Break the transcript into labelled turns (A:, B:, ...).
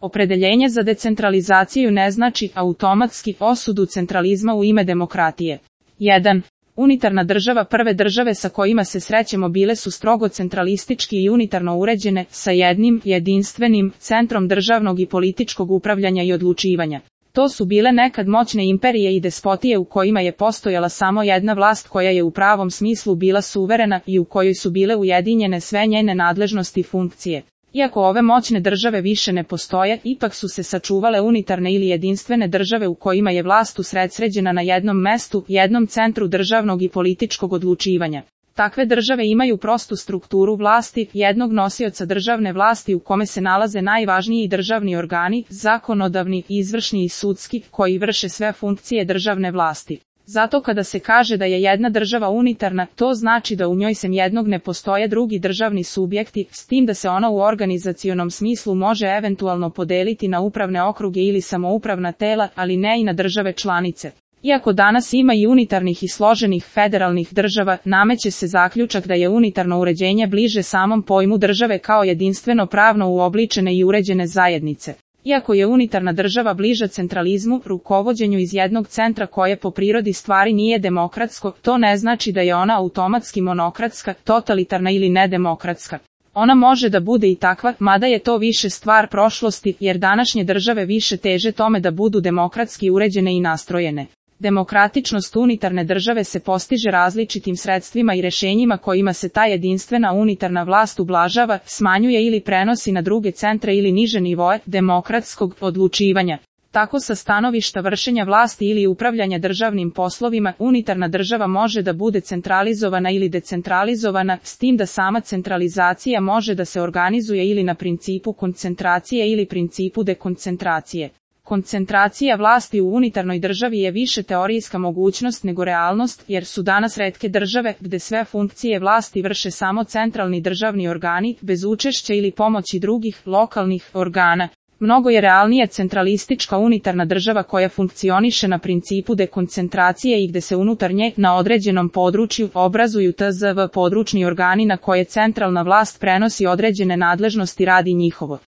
A: Opredeljenje za decentralizaciju ne znači automatski osudu centralizma u ime demokratije. 1. Unitarna država. Prve države sa kojima se srećemo bile su strogo centralistički i unitarno uređene, sa jednim jedinstvenim centrom državnog i političkog upravljanja i odlučivanja. To su bile nekad moćne imperije i despotije u kojima je postojala samo jedna vlast koja je u pravom smislu bila suverena i u kojoj su bile ujedinjene sve njene nadležnosti i funkcije. Iako ove moćne države više ne postoje, ipak su se sačuvale unitarne ili jedinstvene države u kojima je vlast usredsređena na jednom mestu, jednom centru državnog i političkog odlučivanja. Takve države imaju prostu strukturu vlasti, jednog nosioca državne vlasti u kome se nalaze najvažniji državni organi, zakonodavni, izvršni i sudski, koji vrše sve funkcije državne vlasti. Zato kada se kaže da je jedna država unitarna, to znači da u njoj sem jednog ne postoje drugi državni subjekti, s tim da se ona u organizacionom smislu može eventualno podeliti na upravne okruge ili samoupravna tela, ali ne i na države članice. Iako danas ima i unitarnih i složenih federalnih država, nameće se zaključak da je unitarno uređenje bliže samom pojmu države kao jedinstveno pravno uobličene i uređene zajednice. Iako je unitarna država bliža centralizmu, rukovođenju iz jednog centra koje po prirodi stvari nije demokratsko, to ne znači da je ona automatski monokratska, totalitarna ili nedemokratska. Ona može da bude i takva, mada je to više stvar prošlosti, jer današnje države više teže tome da budu demokratski uređene i nastrojene. Demokratičnost unitarne države se postiže različitim sredstvima i rešenjima kojima se ta jedinstvena unitarna vlast ublažava, smanjuje ili prenosi na druge centre ili niže nivoe demokratskog odlučivanja. Tako sa stanovišta vršenja vlasti ili upravljanja državnim poslovima, unitarna država može da bude centralizovana ili decentralizovana, s tim da sama centralizacija može da se organizuje ili na principu koncentracije ili principu dekoncentracije. Koncentracija vlasti u unitarnoj državi je više teorijska mogućnost nego realnost, jer su danas retke države gde sve funkcije vlasti vrše samo centralni državni organi, bez učešća ili pomoći drugih, lokalnih organa. Mnogo je realnija centralistička unitarna država koja funkcioniše na principu dekoncentracije i gde se unutar nje, na određenom području, obrazuju tzv. Područni organi na koje centralna vlast prenosi određene nadležnosti radi njihovo